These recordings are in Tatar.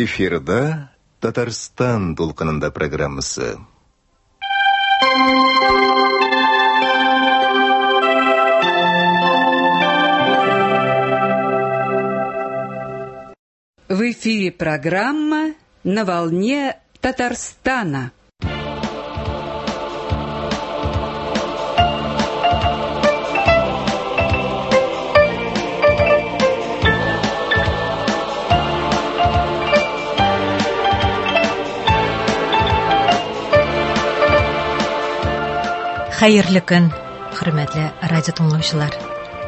Эфирда Татарстан дулкынында программасы. В эфире программа «На волне Татарстана». Хәерле көн, хөрмәтле радио тыңлаучылар.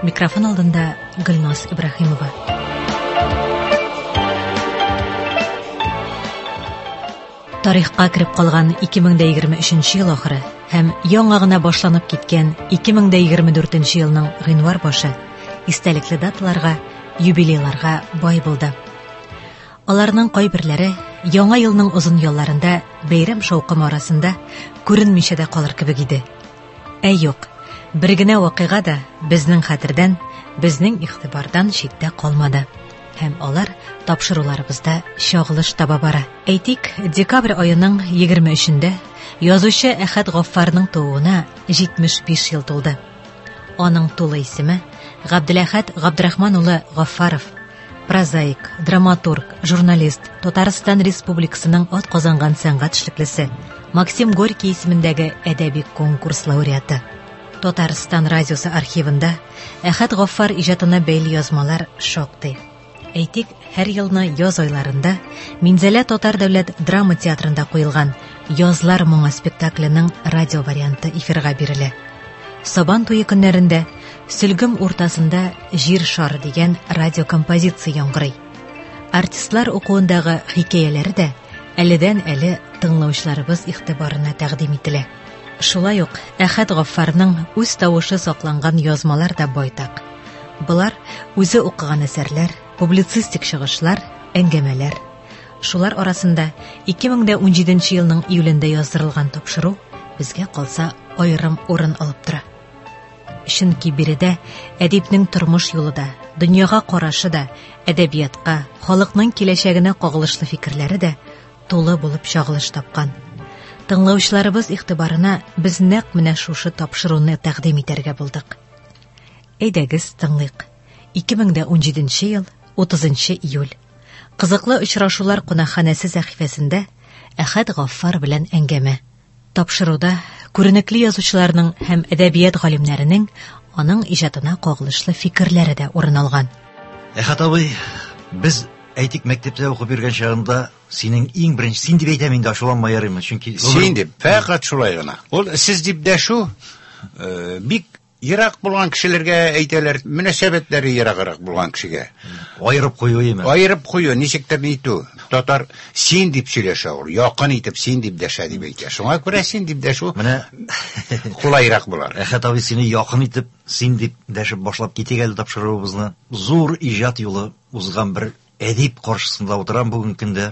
Микрофон алдында Гөлназ Ибраһимова. Тарихка кереп калган 2023 ел ахыры һәм яңа гына башланып киткән 2024 елның гыйнвар башы истәлекле даталарга, юбилейларга бай булды. Аларның кайберләре яңа елның озын ялларында бәйрәм шаукымы арасында күренмичә дә калыр кебек иде. Ә юк, бер генә вакыйга да безнең хәтердән, безнең игътибардан читтә калмады. Һәм алар тапшыруларыбызда чагылыш таба бара. Әйтик, декабрь аеның 23-ндә язучы Әхәт Гаффарның тууына 75 ел тулды. Аның тулы исеме Габделәхәт Габдрахман улы Гаффаров. Прозаик, драматург, журналист, Татарстан Республикасының ат казанган сәнгать эшлеклесе, Максим Горький исемендәге әдәби конкурс лауреаты. Татарстан радиосы архивында Әхәт Гаффар иҗатына бәйле язмалар шактый. Әйтик, һәр елны яз айларында Минзәлә Татар дәүләт драма театрында куелган Язлар моңы спектакленең радио варианты эфирга бирелә. Сабан туе көннәрендә Сөлгем уртасында Җир шары дигән радиокомпозиция яңгырый. Артистлар укуындагы хикәяләре дә әледән-әле тыңлаучыларыбыз игътибарына тәкъдим ителә. Шулай ук Әхәт Гаффарның үз тавышы сакланган язмалар да байтак. Болар үзе укыган әсәрләр, публицистик чыгышлар, әңгәмәләр. Шулар арасында 2017 елның июлендә яздырылган тапшыру безгә калса аерым урын алып тора. Чөнки биредә әдипнең тормыш юлы да, дөньяга карашы да, әдәбиятка, халыкның киләчәгенә кагылышлы фикерләре дә тулы булып чагылыш тапкан. Тыңлаучыларыбыз игътибарына без нәкъ менә шушы тапшыруны тәкъдим итәргә булдык. Әйдәгез, тыңлыйк. 2017 ел, 30 июль. Кызыклы очрашулар кунакханәсе сәхифәсендә Әхәт Гаффар белән әңгәмә. Тапшыруда күренекле язучыларның һәм әдәбият галимнәренең аның иҗатына кагылышлы фикерләре дә урын алган. Әхәт абый, без әйтик мәктәптә укып йөргән чагында синең иң беренче син дип әйтәм инде ачуланма ярыймы, чөнки син дип, фәкать шулай гына. Ул сез дип дәшү бик ерак булган кешеләргә әйтәләр, мөнәсәбәтләре ераграк булган кешегә. Аерып кую име? Аерып кую, ничектер нитү. Татар син дип сөйләшә ул, якын итеп син дип дәшә дип әйтә. Шуңа күрә син дип дәшү менә кулайрак булар. Әхәт абый сине якын итеп син дип дәшеп башлап китик әле тапшыруыбызны. Зур иҗат юлы узган бер әдип каршысында утырам бүгенге көндә.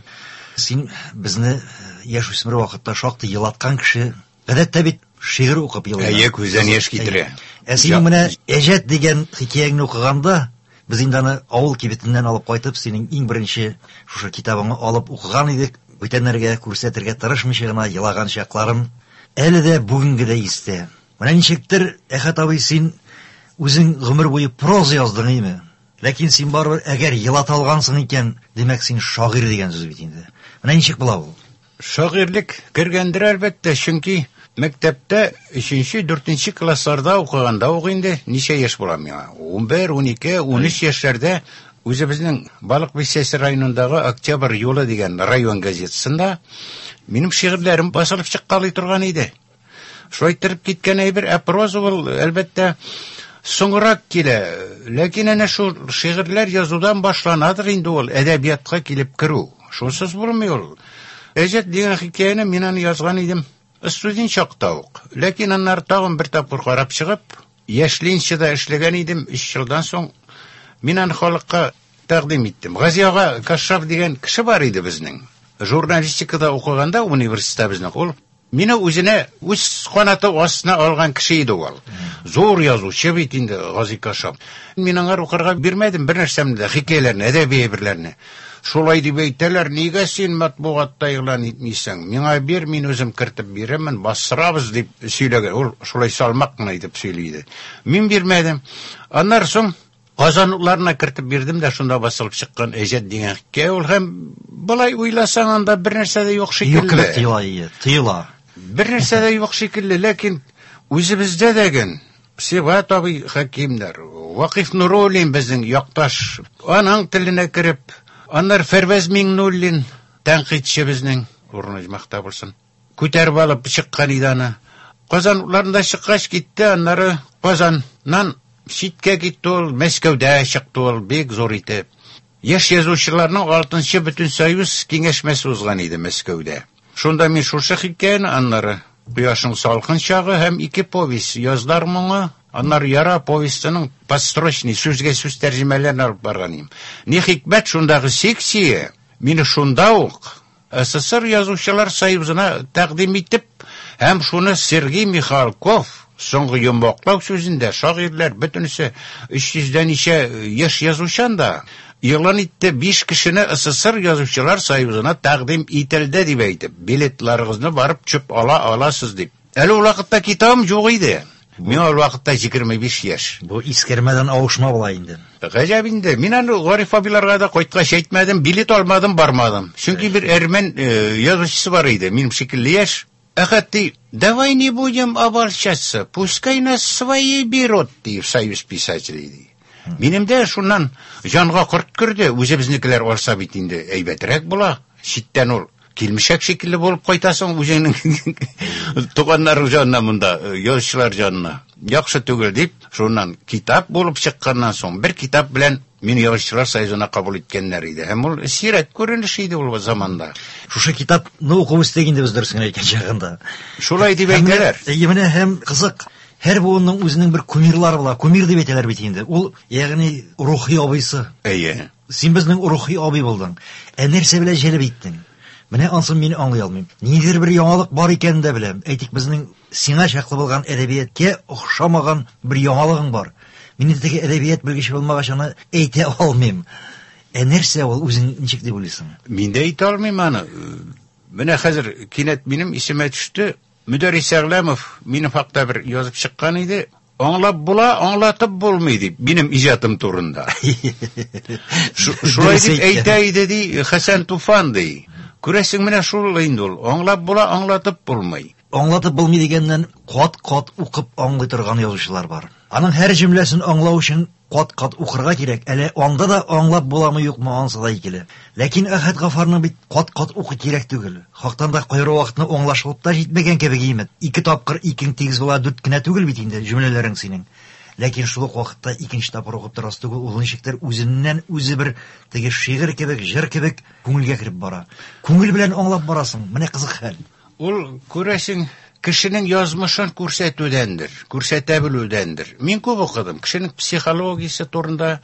Син безне яшүсмер вакытта шактый елаткан кеше. Гадәттә бит шигырь укып елыйлар. Әйе, күздән яшь китерә. Ә синең менә Әҗәт дигән хикәяңне укыганда, без инде аны авыл кибетеннән алып кайтып, синең иң беренче шушы китабыңны алып укыган идек. Бүтәннәргә күрсәтергә тырышмыйча гына елаган чакларым әле дә бүгенге дә истә. Менә ничектер, Әхәт абый, син үзең гомер буе проза яздың, име? Ләкин син барыбер әгәр елата алгансың икән, димәк син шагыйрь дигән сүз бит инде. Менә ничек була ул? Шагыйрьлек кергәндер әлбәттә, чөнки мәктәптә 3-нче, 4-нче классларда укыганда ук инде ничә яшь була миңа? 11, 12, 13 яшьләрдә үзебезнең Балык Бистәсе районындагы Октябрь юлы дигән район газетасында минем шигырьләрем басылып чыккалый торган иде. Шулай иттереп киткән әйбер, ә проза ул, әлбәттә, соңрак килә. Ләкин әнә шул шигырьләр язудан башланадыр инде ул әдәбиятка килеп керү. Шунсыз булмый ул. Әҗәт дигән хикәяне мин аны язган идем студент чакта ук. Ләкин аннары тагын бер тапкыр карап чыгып, Яшьленчеда эшләгән идем, 3 елдан соң мин аны халыкка тәкъдим иттем. Гази ага Кашшаф дигән кеше бар иде безнең. Журналистикада укыганда университетта безнең ул мине үзенә үз канаты астына алган кеше иде ул. Зур язучы бит инде Гази Кашшаф. Мин аңар укырга бирмәдем бер нәрсәмне дә, хикәяләрне, әдәби әйберләрне. Шулай дип әйтәләр, нигә син матбугатта игълан итмисең? Миңа бир, мин үзем кертеп бирермен, бастырабыз дип сөйләгән. Ул шулай салмак кына итеп сөйли иде. Мин бирмәдем. Аннан соң Казан утларына кертеп бирдем дә шунда басылып чыккан Әҗәт дигән хикәя ул һәм болай уйласаң анда бер нәрсә дә юк шикелле. Юк кебек тоела, ие, тоела. Бер нәрсә дә юк шикелле, ләкин үзебездә дә ген Сибгат абый Хәкимнәр, Вакыйф Нуруллин безнең якташ, аның теленә кереп, аннары Фәрвәз Миңнуллин, тәнкыйтьче безнең, урыны оҗмахта булсын, күтәреп алып чыккан иде аны. Казан утларында чыккач китте, аннары Казаннан читкә китте ул, Мәскәүдә чыкты ул, бик зур итеп. Яшь язучыларның 6-нчы Бөтенсоюз киңәшмәсе узган иде Мәскәүдә. Шунда мин шушы хикәяне, аннары Кояшның салкын чагы һәм ике повесть Язлар моңы, аннары Яра повестының подстрочный сүзгә сүз тәрҗемәләрен алып барган идем. Ни хикмәт, шундагы секция мине шунда ук СССР Язучылар союзына тәкъдим итеп, һәм шуны Сергей Михалков соңгы йомгаклау сүзендә шагыйрьләр бөтенесе 300 дә ничә яшь язучы анда игълан итте, 5 кешене СССР Язучылар союзына тәкъдим ителде дип әйтеп, билетларыгызны барып чөп ала аласыз дип. Әле ул вакытта китабым юк иде. Миңа ул вакытта 25 яшь. Бу искәрмәдән авышма була инде. Гаҗәп инде. Мин аны Гариф абыйларга да кайткач әйтмәдем, билет алмадым, бармадым. Чөнки бер әрмән язучысы бар иде, минем шикелле яшь. Әхәт ди, давай не будем обольщаться, пускай нас свои берут, ди, в Союз писателей, ди. Минем дә шуннан җанга корт керде, үзебезнекеләр алса бит инде әйбәтрәк була. Читтән ул килмешәк шикелле булып кайтасың үзеңнең туганнарың җанына монда, язучылар җанына. Яхшы түгел дип, шуннан китап булып чыкканнан соң бер китап белән мине Язучылар союзына кабул иткәннәр иде. Һәм ул сирәк күренеш иде ул заманда. Шушы китапны укып үстек инде без дөресен генә әйткән чагында. Шулай дип әйтәләр. Әйе, менә һәм кызык. Һәр буынның үзенең бер кумирлары була. Кумир дип әйтәләр бит инде. Ул, ягъни рухи абыйсы. Әйе. Син безнең рухи абый булдың. Ә нәрсә белән җәлеп иттең? Менә ансын мин аңлый алмыйм. Ниндидер бер яңалык бар икәнен дә беләм. Әйтик, безнең сиңа чаклы булган әдәбияткә охшамаган бер яңалыгың бар. Мин инде теге әдәбият белгече булмагач аны әйтә алмыйм. Ә нәрсә ул, үзең ничек дип уйлыйсың? Мин дә әйтә алмыйм аны. Менә хәзер кинәт минем исемә төште. Мөдәррис Әгъләмов минем хакта бер язып чыккан иде. Аңлап була, аңлатып булмый дип, минем иҗатым турында. Шулай дип әйтә иде ди Хәсән Туфан ди. Күрәсең, менә шул инде ул. Аңлап була, аңлатып булмый. Аңлатып булмый дигәннән кат-кат укып аңлый торган язучылар бар. Аның һәр җөмләсен аңлау өчен кат-кат укырга кирәк. Әле анда да аңлап буламы юкмы, ансы да икеле. Ләкин Әхәт Гафарның бит кат-кат укы кирәк түгел. Хактан да кайры вакытны аңлашылып та җитмәгән кебек име. 2 тапкыр икең тигез була, 4 кенә түгел бит инде җөмләләрең синең. Ләкин шул ук вакытта икенче тапкыр укып торасы түгел, ул ничектер үзеннән үзе бер теге шигырь кебек, җыр кебек күңелгә кереп бара. Күңел белән аңлап барасың. Менә кызык хәл. Ул, күрәсең, кешенең язмышын күрсәтүдәндер, күрсәтә белүдәндер. Мин күп укыдым кешенең психологиясе турында,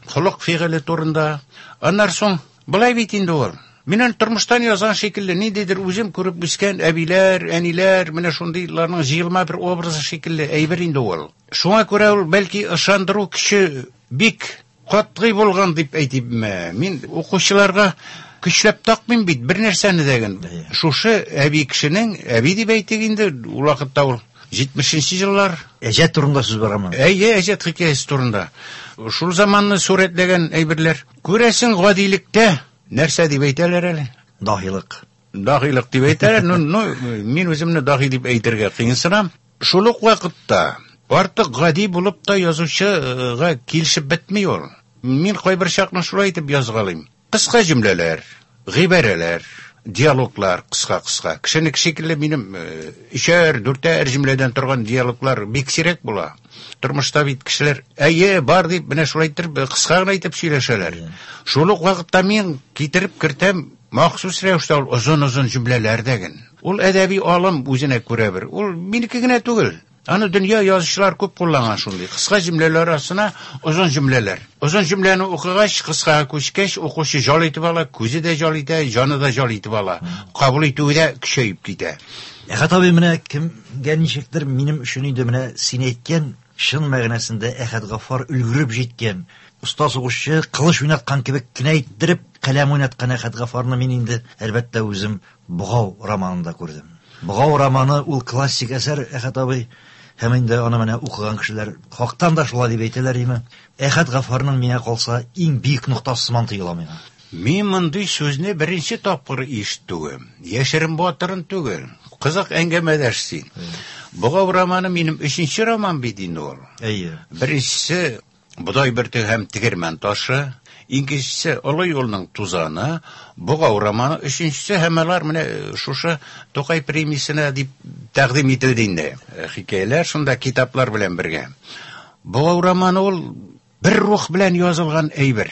холык фигыле турында. Аннан соң былай бит инде ул. Мин аны тормыштан язган шикелле, ниндидер үзем күреп үскән әбиләр, әниләр, менә шундыйларның җыелма бер образы шикелле әйбер инде ул. Шуңа күрә ул бәлки ышандыру көче бик катгый булган дип әйтимме? Мин укучыларга көчләп такмыйм бит бер нәрсәне дә ген. Шушы әби кешенең, әби дип әйтик инде, ул вакытта ул 70 еллар. Әҗәт турында сүз барамы? Әйе, әҗәт хикәясе турында. Шул заманны сурәтләгән әйберләр. Күрәсең, гадилектә нәрсә дип әйтәләр әле? Даһилык. Даһилык дип әйтәләр. Ну, ну, мин үземне даһи дип әйтергә кыенсынам. Шул ук вакытта артык гади булып та язучыга килешеп бетми ул. Мин кайбер чакны шулай итеп язгалыйм. Кыска җөмләләр, гыйбарәләр, диалоглар кыска-кыска. Кешенеке шикелле минем өчәр, дүртәр җөмләдән торган диалоглар бик сирәк була. Тормышта бит кешеләр әйе, бар дип менә шулай итеп кыска гына итеп сөйләшәләр. Шул ук вакытта мин китереп кертәм махсус рәвештә ул озын-озын җөмләләр дәген. Ул әдәби алым үзенә күрә бер. Ул минеке генә түгел. Аны дөнья язучылар күп кулланган шундый. Кыска җөмләләр арасына озын җөмләләр. Озын җөмләне укыгач, кыскага күчкәч, укучы җал итеп ала, күзе дә җал итә, җаны да җал итеп ала. Кабул итүе дә көчәеп китә. Әхәт абый, менә кемгә ничектер минем өчен инде менә син әйткән чын мәгънәсендә Әхәт Гафар өлгереп җиткән. Оста сугышчы, кылыч уйнаткан кебек кенә иттереп, каләм уйнаткан Әхәт Гафарны мин инде, әлбәттә, үзем Богау романында күрдем. Богау романы ул классик әсәр, Әхәт абый. Һәм инде аны менә укыган кешеләр хактан да шулай дип әйтәләр име. Әхәт Гафарның миңа калса иң бөек ноктасы сыман тоела миңа. Мин мондый сүзне беренче тапкыр ишетүем. Яшерен батырын түгел. Кызык әңгәмәдәш син. Богау романы минем өченче роман бит инде ул. Әйе. Беренчесе Бодай бөртеге һәм тегермән ташы, икенчесе Олы юлның тузаны, Богау романы, өченчесе һәм алар менә шушы Тукай премиясенә дип тәкъдим ителде инде. Хикәяләр шунда китаплар белән бергә. Богау романы ул бер рух белән язылган әйбер.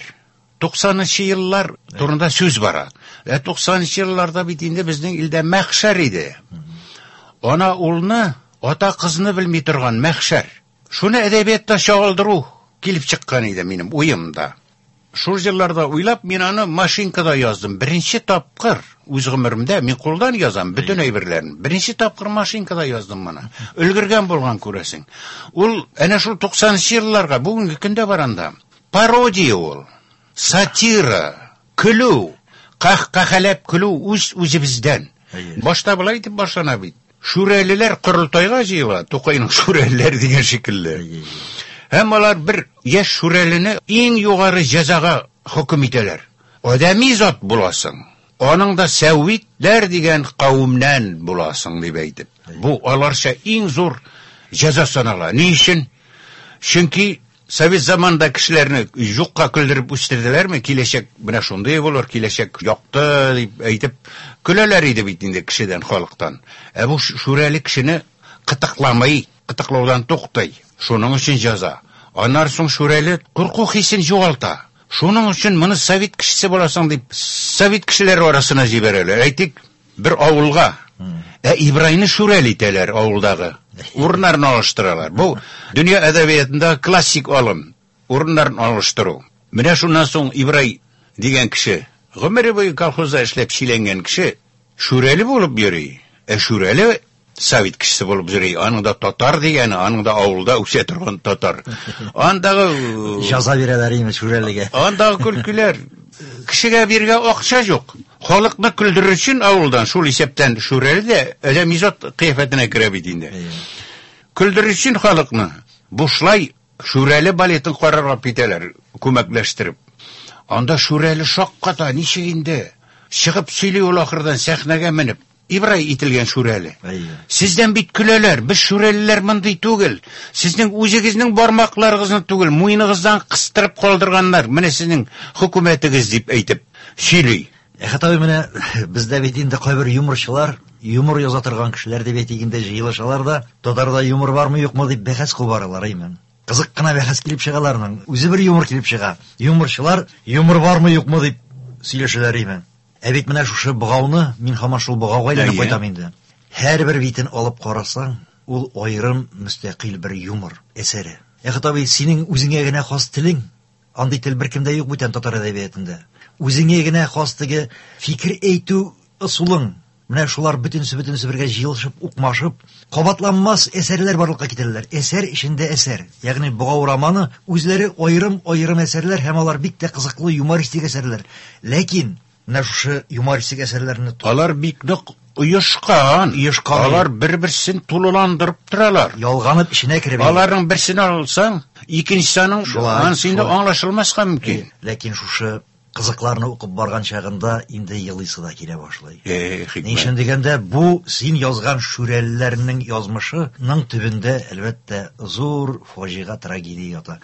90нчы еллар турында сүз бара. Ә 90нчы елларда бит инде безнең илдә мәхшәр иде. Ана улны, ата кызны белми торган мәхшәр. Шуны әдәбиятта чагылдыру килеп чыккан иде минем уемда. Шул елларда уйлап, мин аны машинкада яздым. Беренче тапкыр үз гомеремдә мин кулдан язам бөтен әйберләрен. Беренче тапкыр машинкада яздым моны. Өлгергән булган күрәсең. Ул әнә шул 90нчы елларга бүгенге көндә бар анда. Пародия ул. Сатира, көлү, кахкахәләп көлү үз үзебездән. Башта болай итеп башлана бит. Шүрәлеләр корылтайга җыела, Тукайның шүрәлеләр дигән шикелле. Һәм алар бер яшь шүрәлене иң югары җәзага хөкем итәләр. Адәми зат буласың. Аның да сәвитләр дигән кавемнән буласың дип әйтеп. Бу аларча иң зур җәза санала. Ни өчен? Чөнки Совет заманында кешеләрне юкка көлдереп үстерделәрме? Киләчәк менә шундый булыр, киләчәк якты дип әйтеп көләләр иде бит инде кешедән, халыктан. Ә бу шүрәле кешене кытыкламый, кытыклаудан туктый. Шуның өчен җәза. Аннан соң шүрәле курку хисен югалта. Шуның өчен моны совет кешесе буласың дип совет кешеләре арасына җибәрәләр. Әйтик, бер авылга. Ә Ибрайны шүрәл итәләр авылдагы. Урыннарын алыштыралар. Бу дөнья әдәбиятында классик алым. Урыннарын алыштыру. Менә шуннан соң Ибрай дигән кеше, гомере буе колхозда эшләп чиләнгән кеше, шүрәле булып йөри. Ә шүрәле совет кешесе булып йөри. Аның да татар дигәне, аның да авылда үсә торган татар. Андагы җәза бирәләр инде шүрәлегә. Андагы көлкеләр. Кешегә биргә акча юк. Халыкны көлдерер өчен авылдан, шул исәптән шүрәле дә адәми зат кыяфәтенә керә бит инде. Көлдерер өчен халыкны бушлай шүрәле балетын карарга китәләр, күмәкләштереп. Анда шүрәле шакката, ничек инде? Чыгып сөйли ул ахырдан сәхнәгә менеп. Ибрай ителгән шүрәле. Сездән бит көләләр, без шүрәлеләр мондый түгел. Сезнең үзегезнең бармакларыгызны түгел, муеныгыздан кыстырып калдырганнар. Менә сезнең хөкүмәтегез дип әйтеп сөйли. Әхәт абый, менә бездә бит инде кайбер юморчылар, юмор яза торган кешеләр дип әйтик инде җыелышалар да, татарда юмор бармы юкмы дип бәхәс кубаралар, әйме. Кызык кына бәхәс килеп чыга аларның. Үзе бер юмор килеп чыга. Юморчылар юмор бармы юкмы дип сөйләшәләр, әйме. Ә бит менә шушы богауны, мин һаман шул богауга әйләнеп кайтам инде. Һәрбер битен алып карасаң, ул аерым мөстәкыйль бер юмор әсәре. Әхәт абый, синең үзеңә генә хас телең, андый тел беркемдә юк бүтән татар әдәбиятында. Үзеңә генә хас теге фикер әйтү ысулың, менә шулар бөтенесе-бөтенесе бергә җыелышып, укмашып, кабатланмас әсәрләр барлыкка китерәләр. Әсәр эчендә әсәр. Ягъни Богау романы үзләре аерым-аерым әсәрләр һәм алар бик тә кызыклы юмористик әсәрләр. Ләкин менә шушы юмористик әсәрләрне Алар бик нык оешкан. Оешкан. Алар бер-берсен тулыландырып торалар. Ялганып эченә кереп. Аларның берсен алсаң, икенчесе аның анысы инде аңлашылмаска мөмкин. Ләкин шушы кызыкларны укып барган чагында инде елыйсы да килә башлый. Ни өчен дигәндә, бу син язган шүрәлеләрнең язмышының төбендә, әлбәттә, зур фаҗига, трагедия ята.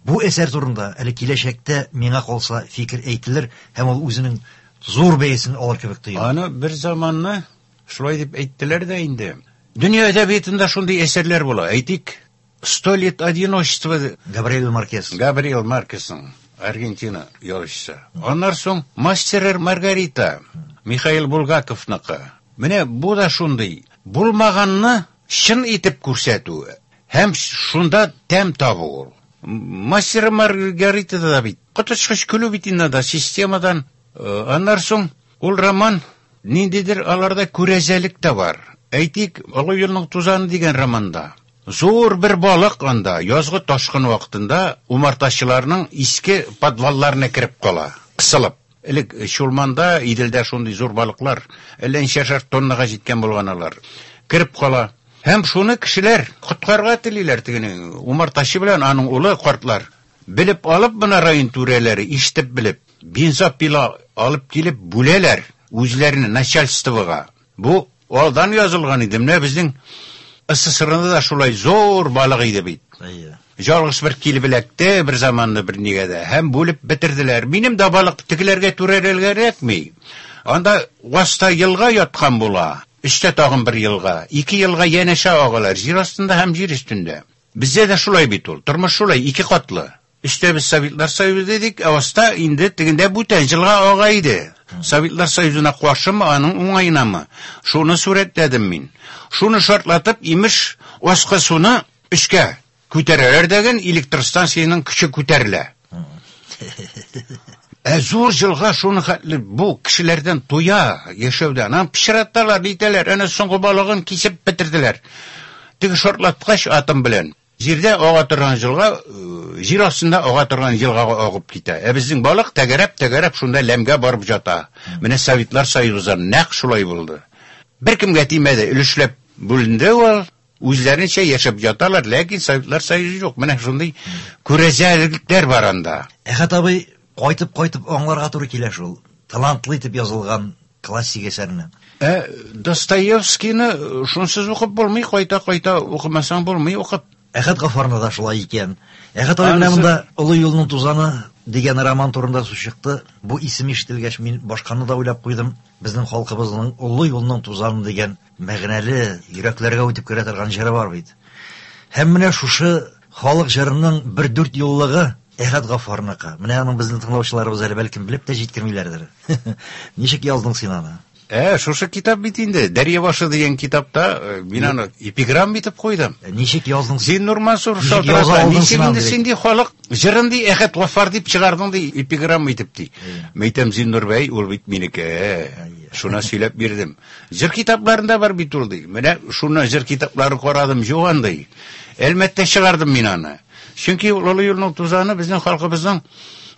Бу әсәр турында әле киләчәктә миңа калса фикер әйтелер һәм ул үзенең зур бәясен алыр кебек тоела. Аны бер заманны шулай дип әйттеләр дә инде. Дөнья әдәбиятында шундый әсәрләр була. Әйтик, Сто лет одиночества. Габриэль Маркес. Габриэль Маркесның Аргентина язучысы. Аннан соң Мастер Маргарита Михаил Булгаковныкы. Менә бу да шундый булмаганны чын итеп күрсәтү һәм шунда тәм табу ул. Мастер Маргаритада да бит коточкыч көлү бит инде да системадан. Аннан соң ул роман ниндидер аларда күрәзәлек тә бар. Әйтик, Олы юлның тузаны дигән романда. Зур бер балык анда язгы ташкын вакытында умартачыларның иске подвалларына кереп кала, кысылып. Элек Чулманда, Иделдә шундый зур балыклар, әллә ничәшәр тоннага җиткән булган алар. Кереп кала. Һәм шуны кешеләр коткарырга телиләр тегене. Умартачы белән аның улы картлар. Белеп алып моны район түрәләре, ишетеп белеп, бензопила алып килеп бүләләр үзләренә, начальствога. Бу алдан язылган иде. Менә безнең СССРда да шулай зур балык иде бит. Әйе. Жалгыз бер килеп эләкте бер заманны бер нигә дә һәм бүлеп бетерделәр. Минем дә балык тегеләргә түрәләргә эләкми. Анда аста елга яткан була. Өстә тагын бер елга. Ике елга янәшә агалар, җир астында һәм җир өстендә. Бездә дә шулай бит ул. Тормыш шулай, ике катлы. Өстә без Советлар Союзы дидек, ә аста инде тегендә бүтән елга ага иде. Советлар Союзына каршымы, аның уңаенамы? Шуны сурәтләдем мин. Шуны шартлатып, имеш, аскы суны өскә күтәрәләр дәген, электр станциясенең көче күтәрелә. Ә зур елга шуны хәтле бу кешеләрдән туя яшәүдән. Аны пычраталар, нитәләр, әнә соңгы балыгын кисеп бетерделәр. Теге шартлаткач атом белән җирдә ага торган елга, җир астында ага торган елгага агып китә. Ә безнең балык тәгәрәп-тәгәрәп шунда ләмгә барып ята. Менә Советлар Союзы нәкъ шулай булды. Беркемгә тимәде, өлешләп бүленде ул. Үзләренчә яшәп яталар, ләкин Советлар Союзы юк. Менә шундый күрәзәлекләр бар анда. Әхәт абый, кайтып-кайтып аңларга туры килә шул. Талантлы итеп язылган классик әсәрне. Ә Достоевскийны шунсыз укып булмый, кайта-кайта укымасаң булмый укып. Әхәт Гаффарны да шулай икән. Әхәт абый, менә монда Олы юлның тузаны дигән роман турында сүз чыкты. Бу исем ишетелгәч, мин башканы да уйлап куйдым. Безнең халкыбызның Олы юлның тузаны дигән мәгънәле, йөрәкләргә үтеп керә торган җыры бар бит. Һәм менә шушы халык җырының бер дүрт юллыгы Әхәт Гаффарныкы. Менә аның безнең тыңлаучыларыбыз әле бәлкем белеп тә җиткермиләрдер. Ничек яздың син аны? Шушы китап бит инде. Дәрья башы дигән китапта мин аны эпиграмм итеп куйдым. Ничек яздың? Зиннур Мансур шалтырата. Ничек инде син ди халык җырын ди Әхәт Гаффар дип чыгардың ди эпиграмм итеп ди. Мәйтәм Зиннур бәй, ул бит минеке. Шуны сөйләп бирдем. Җыр китапларында бар бит ул ди. Менә шуны җыр китаплары карадым, юк андый. Әлмәттә чыгардым мин аны. Чөнки ул Олы юлның тузаны безнең халкыбызның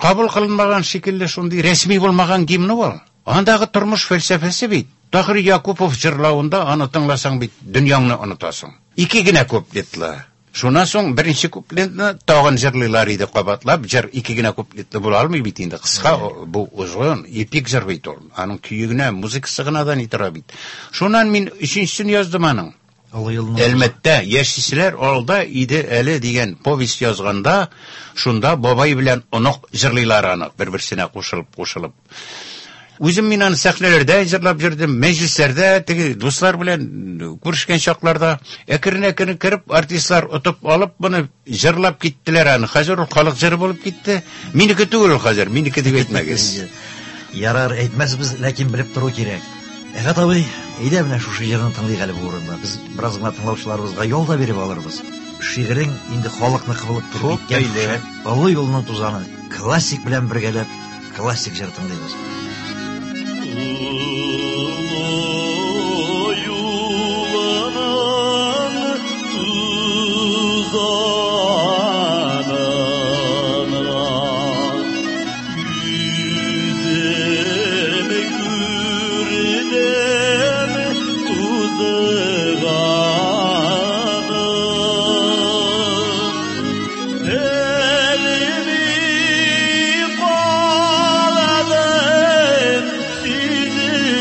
кабул кылынмаган шикелле шундый рәсми булмаган гимны ул. Андагы тормыш фәлсәфәсе бит. Таһир Якупов җырлавында аны тыңласаң бит дөньяңны онытасың. Ике генә куплетлы. Шуннан соң беренче куплетны тагын җырлыйлар иде кабатлап. Җыр ике генә куплетлы була алмый бит инде. Кыска бу озын эпик җыр бит ул. Аның көе генә, музыкасы гына да ни тора бит. Шуннан мин өченчесен яздым аның. Әлмәттә яшиселәр алда иде әле дигән повесть язганда, шунда бабай белән онык җырлыйлар аны, бер-берсенә кушылып-кушылып. Үзем мин аны сәхнәләрдә җырлап йөрдем, мәҗлесләрдә, теге дуслар белән күрешкән чакларда әкрен-әкрен кереп артистлар отып алып моны җырлап киттеләр аны. Хәзер ул халык җыры булып китте. Минеке түгел ул хәзер, минеке дип әйтмәгез. Ярар, әйтмәсбез, ләкин белеп тору кирәк. Әхәт абый, әйдә менә шушы җырны тыңлыйк әле бу урында. Без бераз гына тыңлаучыларыбызга ял да биреп алырбыз. Шигырең инде халыкныкы булып кереп киткән. Олы юлның тузаны классик белән бергәләп классик җыр тыңлыйбыз. Sizi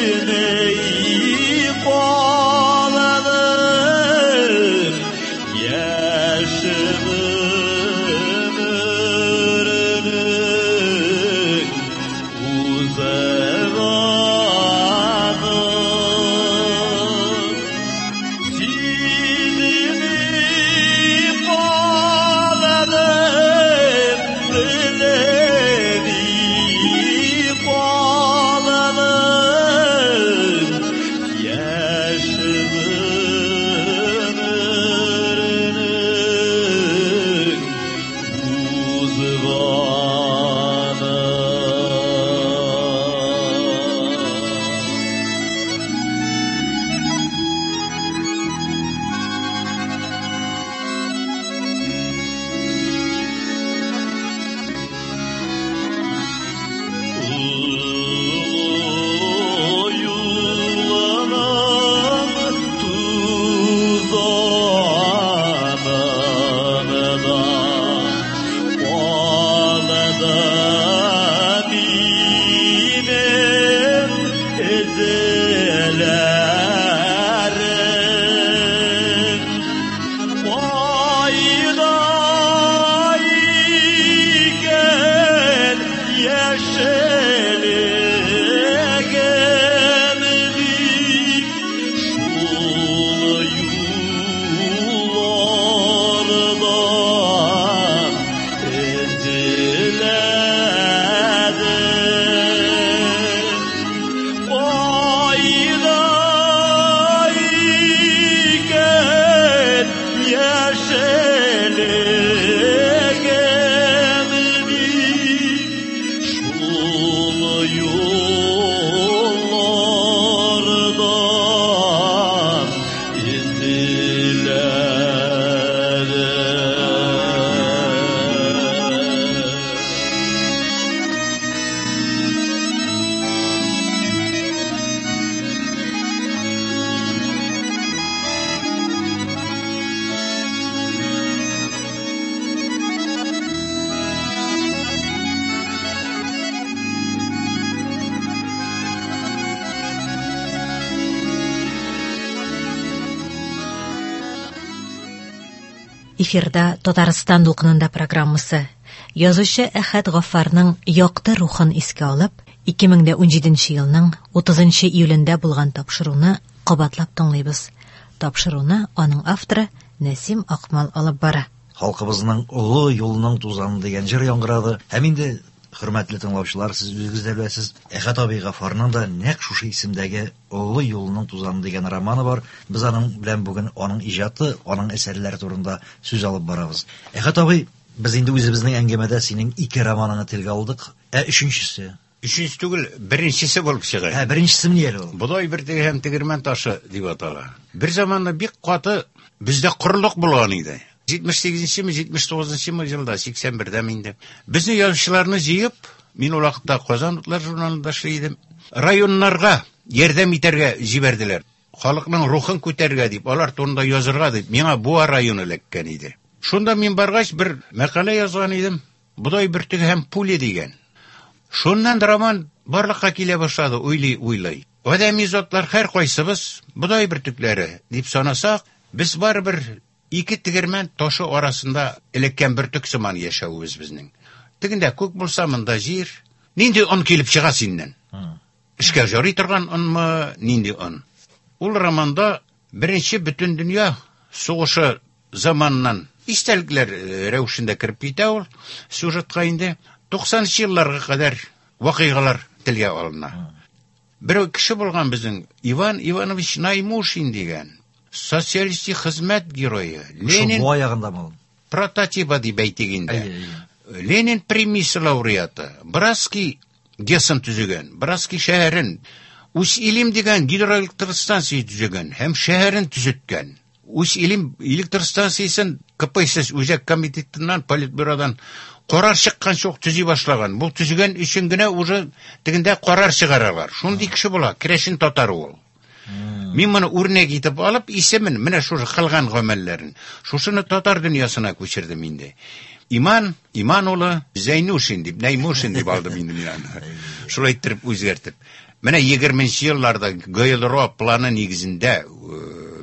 Эфирда Татарстан дулкынында программасы. Язучы Әхәт Гаффарның якты рухын искә алып, 2017 елның 30 июлендә булган тапшыруны кабатлап тыңлыйбыз. Тапшыруны аның авторы Нәсим Акмал алып бара. Халкыбызның олы юлының тузаны дигән җыр яңгырады. Һәм инде, хөрмәтле тыңлаучылар, сез үзегез дә беләсез, Әхәт абый Гаффарның да нәкъ шушы исемдәге Олы юлның тузаны дигән романы бар. Без аның белән бүген аның иҗаты, аның әсәрләре турында сүз алып барабыз. Әхәт абый, без инде үзебезнең әңгәмәдә синең ике романыңны телгә алдык. Ә өченчесе? Өченче түгел, беренчесе булып чыга. Ә, беренчесе ни әле ул? Бодай бөртеге һәм тегермән ташы дип атала. Бер заманны бик каты бездә корылык булган иде. 78-нчеме, 79-нчымы елда, 81-дәме инде. Безне язучыларны җыеп, мин ул вакытта Казан утлары журналында эшли идем. Районнарга ярдәм итәргә җибәрделәр. Халыкның рухын күтәрергә дип, алар турында язырга дип, миңа Буа районы эләккән иде. Шунда мин баргач, бер мәкалә язган идем. Бодай бөртеге һәм пуля дигән. Шуннан роман барлыкка килә башлады, уйлый-уйлый. Адәми затлар һәркайсыбыз бодай бөртекләре дип санасак, без барыбер ике тегермән ташы арасында эләккән бөртек сыман яшәвебез безнең. Тегендә күк булса, монда җир. Нинди он килеп чыга синнән? Эшкә жарый торган онмы, нинди он? Ул романда беренче бөтендөнья сугышы заманыннан истәлекләр рәвешендә кереп китә ул сюжетка инде. 90 елларга кадәр вакыйгалар телгә алына. Бер кеше булган безнең Иван Иванович Наймушин дигән. Социалистик хезмәт герое. Ленин Буа ягындамы ул? Прототипа дип әйтик инде. Ленин премиясе лауреаты. Братский ГЭСын төзегән, Братский шәһәрен, Усть-Илим дигән гидроэлектростанция төзегән һәм шәһәрен төзеткән. Усть-Илим электр станциясен КПСС үзәк комитетыннан, политбюродан карар чыкканчы ук төзи башлаган. Бу төзегән өчен генә уже тегендә карар чыгаралар. Шундый кеше була, керәшен татары ул. Мин моны үрнәк итеп алып, исемен, менә шушы кылган гамәлләрен, шушыны татар дөньясына күчердем инде. Иман, Иман улы Зәйнушин дип, Нәймушин дип алдым инде мин аны. Шулай иттереп үзгәртеп. Менә 20 елларда ГЛРО планы нигезендә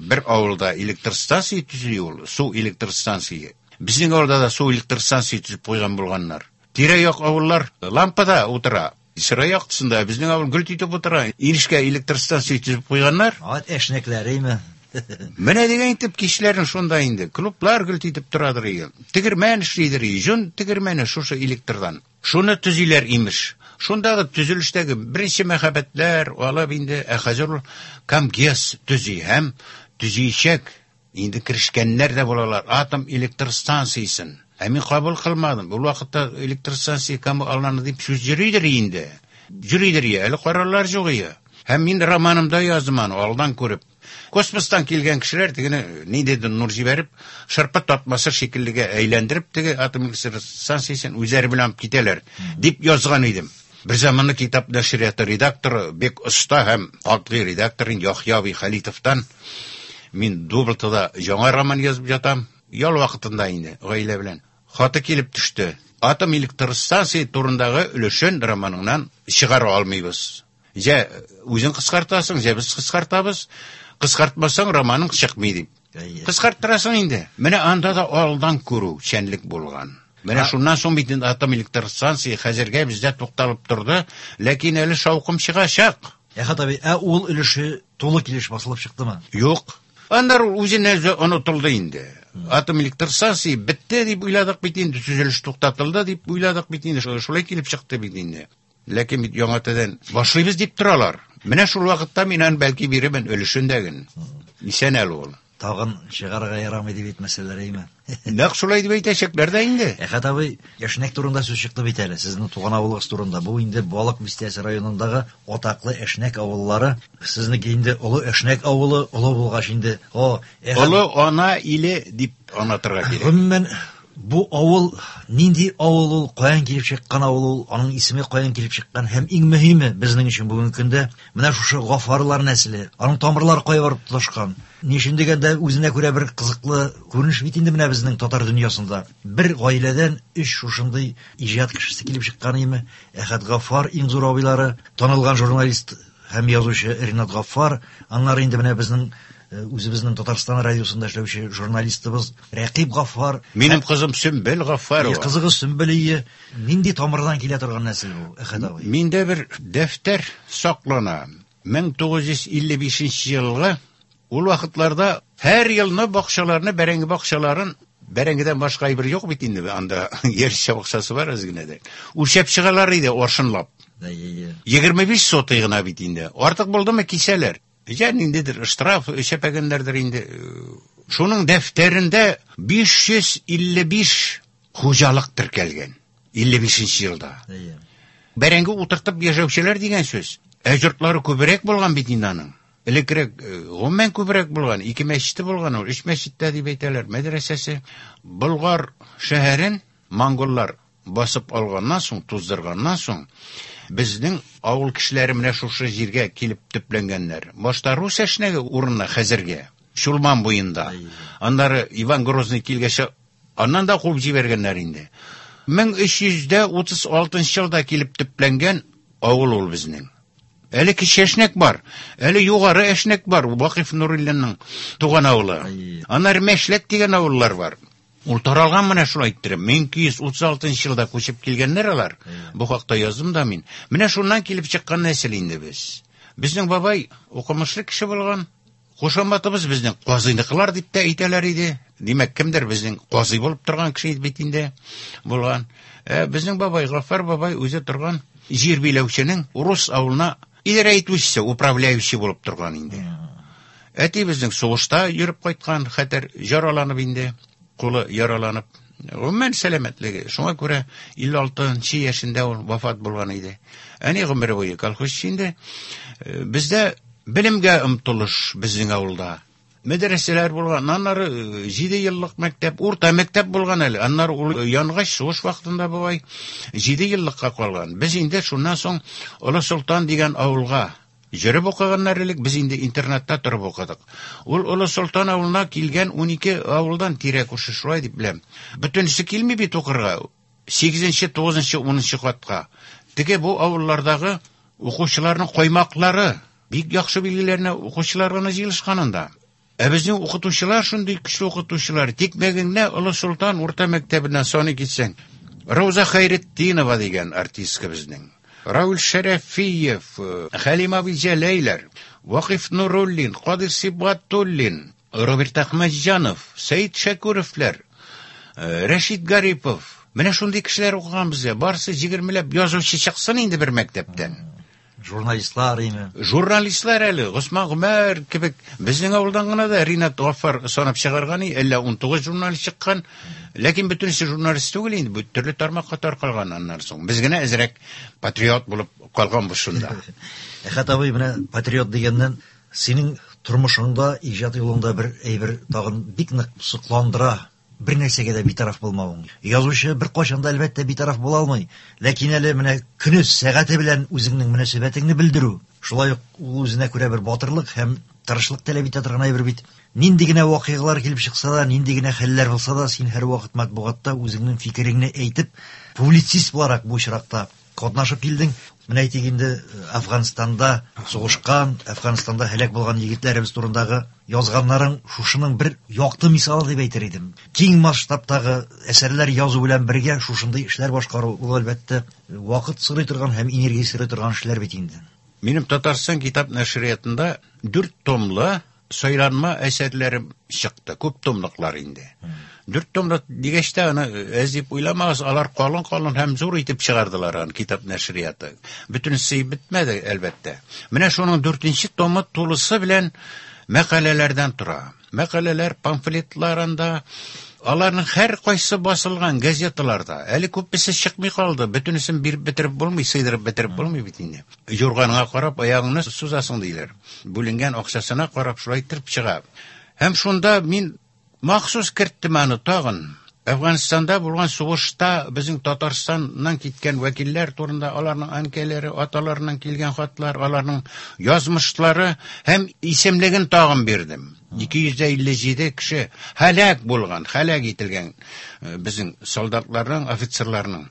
бер авылда электр станция төзү ул, су электр станция. Безнең авылда да су электр станция төзеп куйган булганнар. Тирә-як авыллар лампада утыра. Сыра яктысында безнең авыл гөлт итеп утыра. Инешкә электр станция төзеп куйганнар. Ат эшнекләреме? Менә дигән итеп кичләрен шунда инде. Клублар гөлт итеп торадыр ие. Тегермән эшлидер ие. Җон тегермәне шушы электрдан. Шуны төзиләр имеш. Шундагы төзелештәге беренче мәхәббәтләр алып инде, ә хәзер ул Камгез төзи һәм төзиячәк. Инде керешкәннәр дә булалар атом электр станциясен. Ә мин кабул кылмадым. Ул вакытта электр станция кем алынды дип сүз йөридер инде. Йөридер ие, әле карарлар юк ие. Һәм мин романымда яздым аны, алдан күреп. Космостан килгән кешеләр тегене ниндидер нур җибәреп, шырпы тартмасы шикеллегә әйләндереп, теге атом электр станциясен үзләре белән алып китәләр, дип язган идем. Бер заманны китап нәшрияты редакторы, бик оста һәм катгый редактор Яхъя абый Халитовтан мин Дублтада яңа роман язып ятам, ял вакытында инде, гаилә белән. Хаты килеп төште. Атом электр станция турындагы өлешен романыңнан чыгара алмыйбыз. Җә үзең кыскартасың, җә без кыскартабыз. Кыскартмасаң романың чыкмый дип. Кыскарттырасың инде. Менә анда да алдан күрү чәнлек булган. Менә шуннан соң бит инде атом электр станция хәзергә бездә тукталып торды, ләкин әле шаукым чыгачак. Әхәт абый, ә ул өлеше тулы килеш басылып чыктымы? Юк. Аннары ул үзенә үзе онытылды инде. Атом электр станция бетте дип уйладык бит инде, төзелеш туктатылды дип уйладык бит инде, шулай килеп чыкты бит инде. Ләкин бит яңа тәдән башлыйбыз дип торалар. Менә шул вакытта мин аны бәлки бирермен өлешен дәген. Исән әле ул. Тагын чыгарырга ярамый дип әйтмәсәләр, әйме? Нәкъ шулай дип әйтәчәкләр дә инде. Әхәт абый, Әшнәк турында сүз чыкты бит әле, сезнең туган авылыгыз турында. Бу инде Балык бистәсе районындагы атаклы Әшнәк авыллары. Сезнеке инде Олы Әшнәк авылы, олы булгач инде, о, Әхәт Олы ана иле дип аңлатырга кирәк. Гомумән, бу авыл нинди авыл ул, каян килеп чыккан авыл ул, аның исеме каян килеп чыккан һәм иң мөһиме безнең өчен бүгенге көндә менә шушы Гаффарлар нәселе, аның тамырлары кая барып тоташкан. Ни өчен дигәндә, үзенә күрә бер кызыклы күренеш бит инде менә безнең татар дөньясында. Бер гаиләдән өч шушындый иҗат кешесе килеп чыккан име? Әхәт Гаффар, иң зур абыйлары, танылган журналист һәм язучы Ринат Гаффар, аннары инде менә безнең Үзебезнең Татарстан радиосында эшләүче журналистыбыз Рәкыйп Гаффар. Минем кызым Сөмбел Гаффарова. Кызыгыз Сөмбел ие. Нинди тамырдан килә торган нәсел бу, Әхәт абый? Миндә бер дәфтәр саклана. 1955 елгы ул вакытларда һәр елны бакчаларны, бәрәңге бакчаларын, бәрәңгедән башка әйбер юк бит инде, анда ярча бакчасы бар әз генә дә. Үлчәп чыгалар иде аршынлап. 25 сотый гына бит инде. Артык булдымы кисәләр. Я ниндидер штраф өчәпәгәннәрдер инде. Шуның дәфтәрендә 555 хуҗалык теркәлгән 55 елда. Бәрәңге утыртып яшәүчеләр дигән сүз. Ә йортлары күбрәк булган бит инде аның. Элеккерәк гомумән күбрәк булган, ике мәчете булган ул, өч мәчеттә дип әйтәләр, мәдрәсәсе. Болгар шәһәрен монголлар басып алганнан соң, туздырганнан соң, безнең авыл кешеләре менә шушы җиргә килеп төпләнгәннәр. Башта рус әшнәге урынына хәзергә, Чулман буенда. Аннары Иван Грозный килгәч, аннан да куып җибәргәннәр инде. 1336 елда килеп төпләнгән авыл ул безнең. Әле кече әшнәк бар, әле югары әшнәк бар, Вакыйф Нуруллинның туган авылы. Аннары Мәшләк дигән авыллар бар. Ул таралган менә шулай иттереп. 1236 елда күчеп килгәннәр алар. Бу хакта яздым да мин. Менә шуннан килеп чыккан нәсел инде без. Безнең бабай укымышлы кеше булган. Кушаматыбыз безнең казыйныкылар дип тә әйтәләр иде. Димәк, кемдер безнең казый булып торган кеше бит инде булган. Безнең бабай Гаффар бабай үзе торган җир биләүченең урыс авылына идарә итүчесе, управляющий булып торган инде. Әти безнең сугышта йөреп кайткан, хәтәр яраланып инде, кулы яраланып. Гомумән сәламәтлеге. Шуңа күрә 56 яшендә ул вафат булган иде. Әни гомере буе колхозчы инде. Бездә белемгә омтылыш безнең авылда. Мәдрәсәләр булган, аннары 7 еллык мәктәп, урта мәктәп булган әле. Аннары ул янгач сугыш вакытында бабай 7 еллыкка калган. Без инде шуннан соң Олы Солтан дигән авылга йөреп укыганнар элек, без инде интернатта торып укыдык. Ул Олы Солтан авылына килгән 12 авылдан тирә күрше шулай дип беләм. Бөтенесе килми бит укырга. 8-нче, 9-нчы, 10-нчы катка. Теге бу авыллардагы укучыларның коймаклары бик яхшы билгеләренә укучылар гына җыелышкан анда. Ә безнең укытучылар шундый көчле укытучылар. Тик мәгеңне Олы Солтан урта мәктәбеннән саный китсәң, Рауза Хайретдинова дигән артистка безнең. Рауль Шәрәфиев, Хәлим абый Җәләйләр, Вакыйф Нуруллин, Кадир Сибгатуллин, Роберт Әхмәтҗанов, Сәид Шәкүровлар, Рәшит Гарипов. Менә шундый кешеләр укыган бездә. Барысы 20ләп язучы чыксын инде бер мәктәптән. Журналистлар име? Журналистлар әле, Госман Гомәр кебек. Безнең авылдан гына да Ринат Гаффар санап чыгарган, әллә 19 журналист чыккан. Ләкин бөтенесе журналист түгел инде, бу төрле тармакка таркалган аннан соң. Без генә әзрәк патриот булып калганбыз шунда. Әхәт абый, менә патриот дигәннән, синең тормышыңда, иҗат юлыңда бер әйбер тагын бик нык сокландыра. Бер нәрсәгә дә битараф булмавың. Язучы бер кайчан да әлбәттә битараф була алмый. Ләкин әле менә көне, сәгате белән үзеңнең мөнәсәбәтеңне белдерү, шулай ук ул үзенә күрә бер батырлык һәм тырышлык таләп итә торган әйбер бит. Нинди генә вакыйгалар килеп чыкса да, нинди генә хәлләр булса да, син һәрвакыт матбугатта үзеңнең фикереңне әйтеп, публицист буларак бу очракта катнашып килдең. Менә әйтик инде, Әфганстанда сугышкан, Әфганстанда һәлак булган егетләребез турындагы язганнарың шушының бер якты мисалы дип әйтер идем. Киң масштабтагы әсәрләр язу белән бергә шушындый эшләр башкару, ул әлбәттә вакыт сорый торган һәм энергия сорый торган эшләр бит инде. Минем Татарстан китап нәшриятында 4 томлы сайланма әсәрләрем чыкты, күп томлыклар инде. 4 томлык дигәч тә аны әз дип уйламагыз, алар калын-калын һәм зур итеп чыгардылар аны китап нәшрияты. Бөтенесе бетмәде, әлбәттә. Менә шуның 4 томы тулысы белән мәкаләләрдән тора. Мәкаләләр, памфлетлар анда, аларның һәр кайсы басылган газеталарда. Әле күпесе чыкмый калды, бөтенесен биреп бетереп булмый, сыйдырып бетереп булмый бит инде. Юрганыңа карап аягыңны сузасың диләр. Бүленгән акчасына карап шулай итеп чыга. Һәм шунда мин махсус керттем аны тагын. Әфганстанда булган сугышта безнең Татарстаннан киткән вәкилләр турында, аларның әнкәләре, аталарыннан килгән хатлар, аларның язмышлары һәм исемлеген тагын бирдем. 257 кеше һәлак булган, һәлак ителгән безнең солдатларның, офицерларның.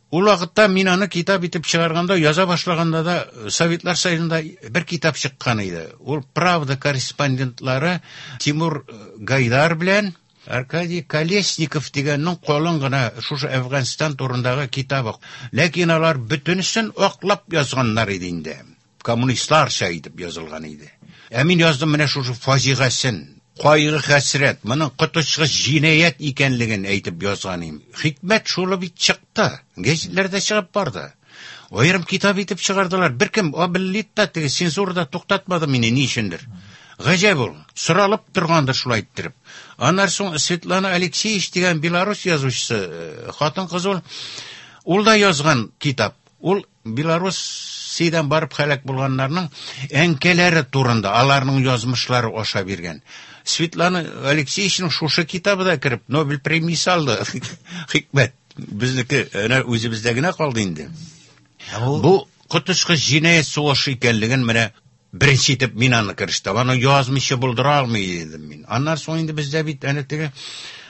Ул вакытта мин аны китап итеп чыгарганда, яза башлаганда да Советлар Союзында бер китап чыккан иде. Ул «Правда» корреспондентлары Тимур Гайдар белән Аркадий Колесников дигәннең калын гына шушы Әфганстан турындагы китабы. Ләкин алар бөтенесен аклап язганнар иде инде. Коммунистларча итеп язылган иде. Ә мин яздым менә шушы фаҗигасын, кайгы хәсрәт, моның коточкыч җинаять икәнлеген әйтеп язган идем. Хикмәт шулы бит чыкты, гәзитләрдә чыгып барды. Аерым китап итеп чыгардылар. Беркем Абеллит та теге цензура да туктатмады мине ни өчендер. Гаҗәп ул, соралып торгандыр шулай иттереп. Аннан соң Светлана Алексеевич дигән белорус язучысы, хатын-кыз ул, ул да язган китап. Ул Белоруссиядән барып һәлак булганнарның әнкәләре турында, аларның язмышлары аша биргән. Светлана Алексеевичның шушы китабы да кереп, Нобель премиясе алды. Хикмәт. Безнеке әнә үзебездә генә калды инде. Бу коточкыч җинаять сугышы икәнлеген менә беренче итеп мин аны керештем. Аны язмыйча булдыра алмый идем мин. Аннан соң инде бездә бит әнә теге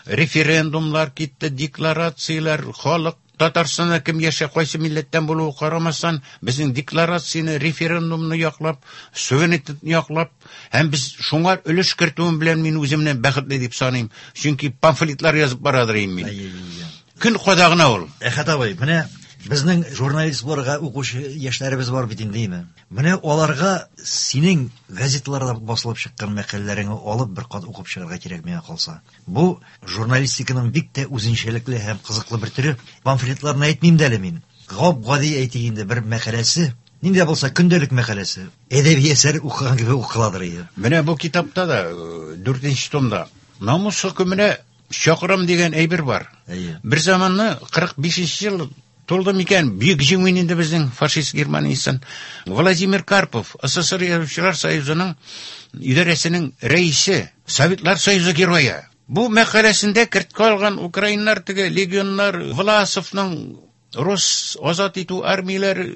референдумлар китте, декларацияләр, халык Татарстанда кем яшә, кайсы милләттән булуы карамастан, безнең декларацияне, референдумны яклап, суверенитетны яклап, һәм без шуңа өлеш кертүем белән мин үземне бәхетле дип саныйм. Чөнки памфлетлар язып барадыр инде мин. Көн кадагына ул. Әхәт абый, менә безнең журналист булырга укучы яшьләребез бар бит инде, әйме? Менә аларга синең газеталарда басылып чыккан мәкаләләреңне алып бер кат укып чыгарга кирәк миңа калса. Бу журналистиканың бик тә үзенчәлекле һәм кызыклы бер төре. Памфлетларны әйтмим дә әле мин. Гап-гади әйтик инде бер мәкаләсе, нинди дә булса көндәлек мәкаләсе, әдәби әсәр укыган кебек укыладыр иде. Менә бу китапта да, 4 томда намус хөкеменә чакырам дигән әйбер бар. Әйе. Бер заманны 45 ел тулды микән, бөек җиңү инде безнең фашист Германиясен. Владимир Карпов, СССР Язучылар Союзының идарәсенең рәисе, Советлар Союзы герое. Бу мәкаләсендә керткә алган украиннар теге легионнар Власовның Рус азат итү армияләре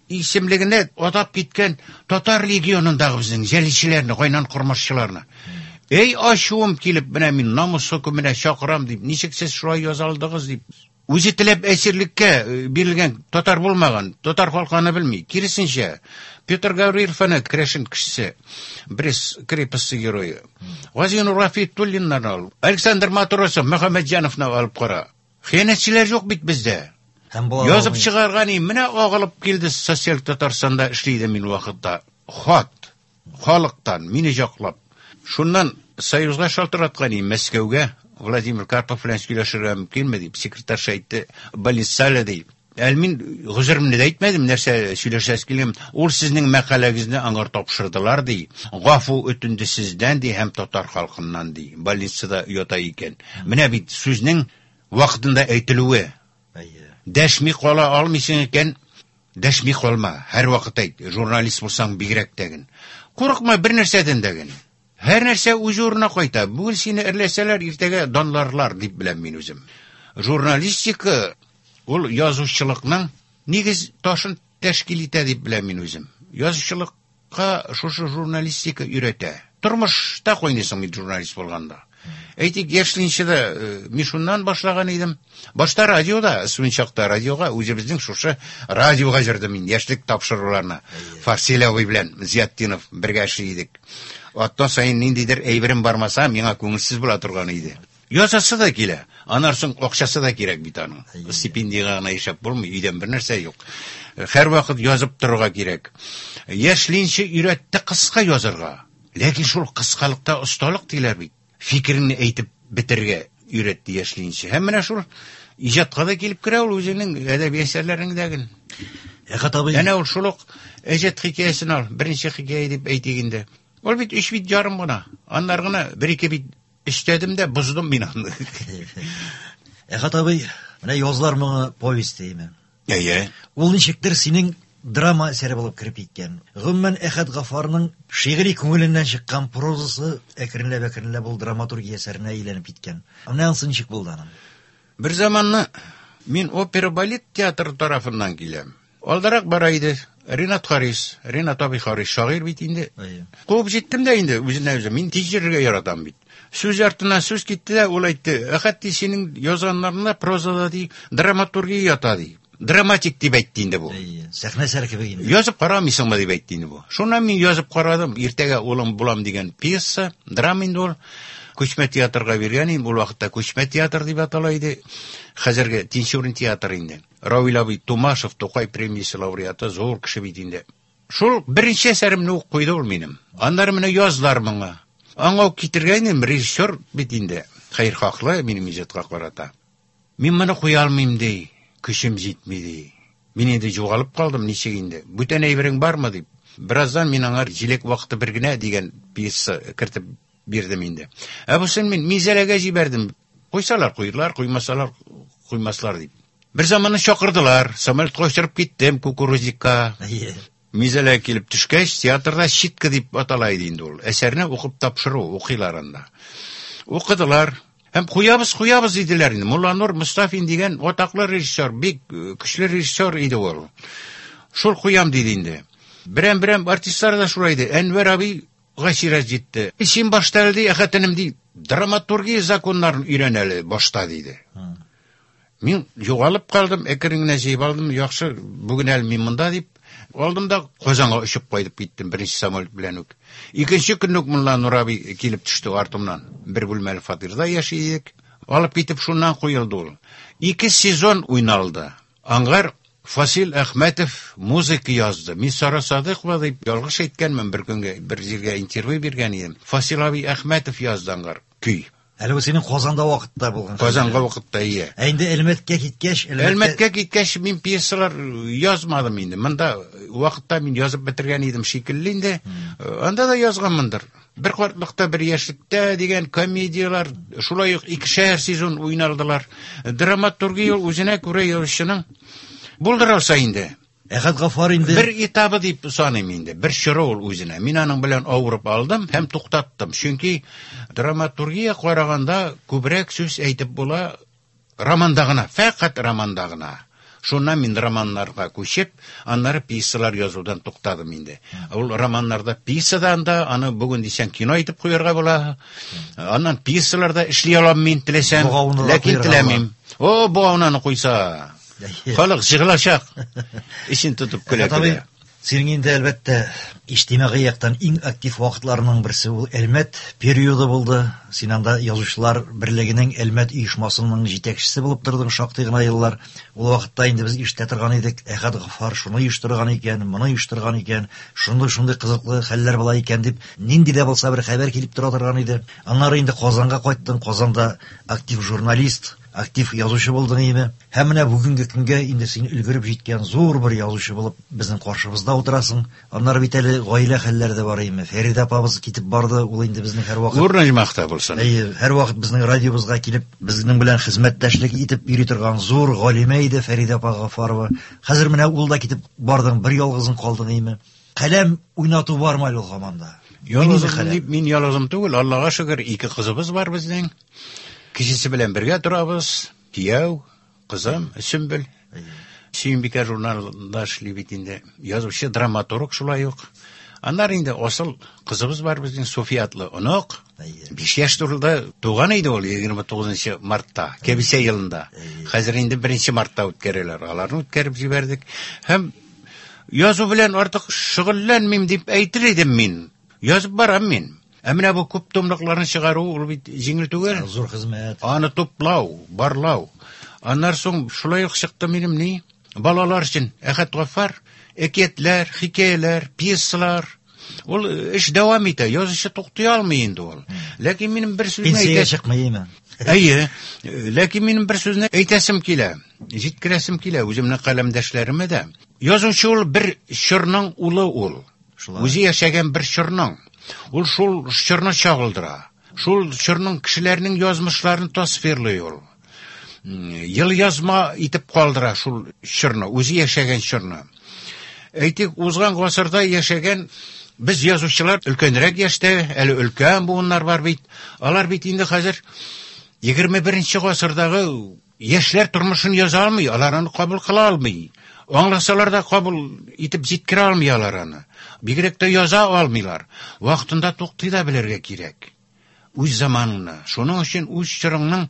исемлегенә атап киткән татар легионындагы безнең җәлилчеләрне, Гайнан Кормашчыларны. Эй, ачуым килеп, менә мин намус хөкеменә чакырам дип, ничек сез шулай яза алдыгыз дип. Үзе теләп әсирлеккә бирелгән татар булмаган, татар халкы аны белми. Киресенчә, Петр Гаврилов аны керәшен кешесе, Брест крепости герое. Газинур Рафитуллиннарны ал, Александр Матросов, Мөхәммәтҗановны алып кара. Хыянәтчеләр юк бит бездә. Һәм була Язып алмый. чыгарган и, менә агылып килде Социаль Татарстанда эшли идем мин вакытта. Хат халыктан мине яклап. Шуннан Союзга шалтыраткан и, Мәскәүгә Владимир Карпов белән сөйләшергә мөмкинме дип, секретарша әйтте, больница әле ди. Әле мин гозеремне дә әйтмәдем, нәрсә сөйләшәсе килгән. Ул сезнең мәкаләгезне аңар тапшырдылар ди. Гафу үтенде сездән ди һәм татар халкыннан ди. Больницада ята икән. Менә бит сүзнең вакытында әйтелүе. Әйе. Дәшми кала алмыйсың икән, дәшми калма. Һәр вакыт әйт. Журналист булсаң бигрәк тәген. Курыкма бер нәрсәдән дәген. Һәр нәрсә үз урынына кайта. Бүген сине эрләсәләр, иртәгә данларлар дип беләм мин үзем. Журналистика ул язучылыкның нигез ташын тәшкил итә дип беләм мин үзем. Язучылыкка шушы журналистика өйрәтә. Тормышта куйныйсың бит журналист булганда. Әйтик, яшьленче дә мин шуннан башлаган идем. Башта радиода, студент чакта радиога үзебезнең шушы радиога җырдым мин яшьлек тапшыруларына. Фарсил абый белән Зиятдинов бергә эшли идек. Атна саен ниндидер әйберем бармаса, миңа күңелсез була торган иде. Язасы да килә. Аннан соң акчасы да кирәк бит аның. Стипендиягә гына яшәп булмый, өйдән бер нәрсә юк. Һәрвакыт язып торырга кирәк. Яшьленче өйрәтте кыска язырга. Ләкин шул кыскалыкта осталык диләр бит. Фикереңне әйтеп бетерергә өйрәтте яшьленче. Һәм менә шул иҗатка да килеп керә ул үзенең әдәби әсәрләрендәген. Әхәт абый. Әнә ул шул ук Әҗәт хикәясен ал, беренче хикәя дип әйтик инде. Ул бит 3 бит ярым гына. Аннар гына 1-2 бит өстәдем дә боздым мин аны. Әхәт абый, менә Язлар моңы повесть димме? Әйе. Ул ничектер синең драма әсәре булып кереп киткән. Гомумән, Әхәт Гаффарның шигъри күңеленнән чыккан прозасы әкренләп-әкренләп ул драматургия әсәренә әйләнеп киткән. Менә анысы ничек булды аның? Бер заманны мин опера балет театры тарафыннан киләм. Алдарак бара иде Ринат Харис, Ринат абый Харис шагыйрь бит инде. Әйе. Куып җиттем дә инде үзенә үзе. Мин тиз йөрергә яратам бит. Сүз артыннан сүз китте дә, ул әйтте, Әхәт ди, синең язганнарыңда прозада ди, драматургия ята ди. Драматик дип әйтте инде бу. Әйе, сәхнә әсәре кебек инде. Язып карамыйсыңмы дип әйтте инде бу. Шуннан мин язып карадым. Иртәгә улым булам дигән пьеса, драма инде ул. Күчмә театрга биргән идем. Ул вакытта Күчмә театр дип атала иде. Хәзерге Тинчурин театры инде. Равил абый Тумашев, Тукай премиясе лауреаты, зур кеше бит инде. Шул беренче әсәремне ук куйды ул минем. Аннары менә язлар моңа. Аңа ук китергән идем, режиссер бит инде. Хәерхаһлы минем иҗатка карата. Мин моны куя алмыйм, ди, көчем җитми, ди. Мин инде югалып калдым, ничек инде? Бүтән әйберең бармы, дип. Бераздан мин аңар Җиләк вакыты бер генә дигән пьеса кертеп бирдем инде. Ә бусын мин Минзәләгә җибәрдем. Куйсалар куйдылар, куймасалар куймаслар дип. Бер заманны чакырдылар, самолетка очырып киттем кукурузникка. Әйе. Минзәләгә килеп төшкәч, театрда читка дип атала иде инде ул. Әсәрне укып тапшыру, укыйлар анда. Укыдылар. Һәм куябыз, куябыз диделәр инде. Мулланур Мостафин дигән атаклы режиссер, бик көчле режиссер иде ул. Шул куям диде инде. Берәм-берәм артистлар да шулай иде. Әнвәр абыйга чират җитте. Син башта әле, ди, Әхәт энем, ди, драматургия законнарын өйрән әле башта, диде. Мин югалып калдым, әкрен генә җыеп алдым, яхшы, бүген әле мин монда дип. Алдым да Казанга очып кайтып киттем беренче самолет белән үк. Икенче көнне үк Мулланур абый килеп төште артымнан. Бер бүлмәле фатирда яши идек. Алып китеп шуннан куелды ул. 2 сезон уйналды. Аңгар Фасил Әхмәтов музыка язды. Мин Сара Садыкова дип ялгыш әйткәнмен бер көнгә, бер җиргә интервью биргән идем. Фасил абый Әхмәтов язды аңгар көй. Әле бу синең Казанда вакытта булган. Казанга вакытта, ие. Ә инде Әлмәткә киткәч, Әлмәткә киткәч мин пьесалар язмадым инде. Монда вакытта мин язып бетергән идем шикелле инде. Анда да язганмындыр. Бер картлыкта, бер яшьлектә дигән комедияләр, шулай ук икешәр сезон уйналдылар. Драматургия ул үзенә күрә язучының булдыра алса инде. Әхәт Гаффар инде бер этабы дип саныйм инде, бер чоры ул үзенә. Мин аның белән авырып алдым һәм туктаттым. Чөнки драматургия караганда күбрәк сүз әйтеп була романда гына, фәкать романда гына. Шуннан мин романнарга күчеп, аннары пьесалар язудан туктадым инде. Ул романнарда пьесадан да, аны бүген дисәң кино итеп куярга була. Аннан пьесаларда эшли алам мин теләсәм, Богаунны да ләкин куярга теләмим. О, богаунаны куйса, халык җыгылачак. Эчен тотып көлә Әхәт абый, көлә. синең инде әлбәттә иҗтимагый яктан иң актив вакытларының берсе ул Әлмәт периоды булды. Син анда Язучылар берлегенең Әлмәт оешмасының җитәкчесе булып тордың шактый гына еллар. Ул вакытта инде без ишетә торган идек, Әхәт Гаффар шуны оештырган икән, моны оештырган икән, шундый-шундый кызыклы хәлләр була икән дип, нинди дә булса бер хәбәр килеп тора торган иде. Аннары инде Казанга кайттың, Казанда актив журналист, актив язучы булдың име. Һәм менә бүгенге көнгә инде син өлгереп җиткән зур бер язучы булып безнең каршыбызда утырасың. Аннары бит әле гаилә хәлләре дә бар име. Фәридә апабыз китеп барды, ул инде безнең һәрвакыт Урыны җмахта булсын. Әйе, һәрвакыт безнең радиобызга килеп, безнең белән хезмәттәшлек итеп йөри торган зур галимә иде Фәридә апа Гаффарова. Хәзер менә ул да китеп бардың, бер ялгызың калдың име. Каләм уйнату бармы әле ул һаман да? Ялгызым Уйныймы каләм? дип, мин ялгызым түгел, Аллага шөкер, ике кызыбыз бар безнең. Кечесе белән бергә торабыз. Кияү, кызым, Сөмбел. Сөембикә журналында эшли бит инде. Язучы, драматург шулай ук. Аннары инде асыл кызыбыз бар безнең, София атлы онык. 5 яшь турында туган иде ул егерме тугызынчы мартта, кәбисә елында. Хәзер инде 1 мартта үткәрәләр. Аларны үткәреп җибәрдек. Һәм язу белән артык шөгыльләнмим дип әйтер идем мин. Язып барам мин. Ә менә бу күп томлыкларны чыгару ул бит җиңел түгел. Зур хезмәт. Аны туплау, барлау. Аннан соң шулай ук чыкты минем ни? Балалар өчен Әхәт Гаффар, әкиятләр, хикәяләр, пьесалар. Ул эш дәвам итә, язучы туктый алмый инде ул. Ләкин минем бер сүзне Пенсиягә әйтә- чыкмый име? Әйе, ләкин минем бер сүзне әйтәсем килә, җиткерәсем килә үземнең каләмдәшләремә дә. Язучы ул бер чорның улы ул. Шулай. Үзе яшәгән бер чорның. Ул шул чорны чагылдыра. Шул чорның кешеләрнең язмышларын тасвирлый ул. Ел язма итеп калдыра шул чорны, үзе яшәгән чорны. Әйтик, узган гасырда яшәгән без язучылар өлкәнрәк яшьтә, әле өлкән буыннар бар бит. Алар бит инде хәзер егерме беренче гасырдагы яшьләр тормышын яза алмый, алар аны кабул кыла алмый. Аңласалар да кабул итеп җиткерә алмый алар аны. Бигрәк тә яза алмыйлар. Вакытында туктый да белергә кирәк. Үз заманыңны, шуның өчен үз чорыңның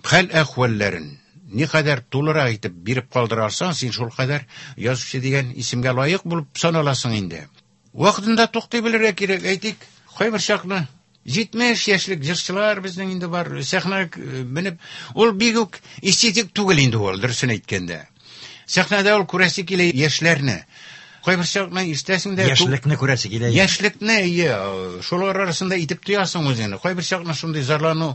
хәл-әхвәлләрен, Никадәр тулырак итеп биреп калдыра алсаң, син шул кадәр язучы дигән исемгә лаек булып саналасың инде. Вакытында туктый белергә кирәк. Әйтик, кайбер чакны 70 яшьлек җырчылар безнең инде бар, сәхнәгә менеп, ул бик үк эстетик түгел инде ул, дөресен әйткәндә. Сәхнәдә ул күрәсе килә яшьләрне. Кайбер чакны ишетәсең дә, Яшьлекне күрәсе килә. Яшьлекне, ие, шулар арасында итеп тоясың үзеңне. Кайбер чакны шундый зарлану,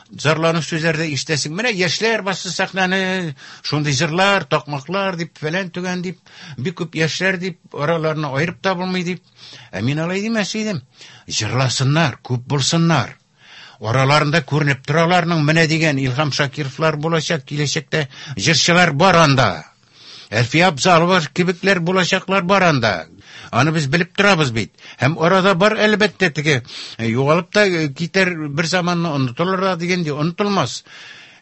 зарлану сүзләр дә ишетәсең. Менә яшьләр басты сәхнәне, шундый җырлар, такмаклар дип, фәлән төгән дип, бик күп яшьләр дип, араларны аерып та булмый дип. Ә мин алай димәс идем. Җырласыннар, күп булсыннар. Араларында күренеп тораларның менә дигән Илһам Шакировлар булачак, киләчәктә җырчылар бар анда. Әлфия Абзалова кебекләр булачаклар бар анда. Аны без белеп торабыз бит. Һәм арада бар әлбәттә теге югалып та китәр бер заманны онытылыр да дигәндә онытылмас.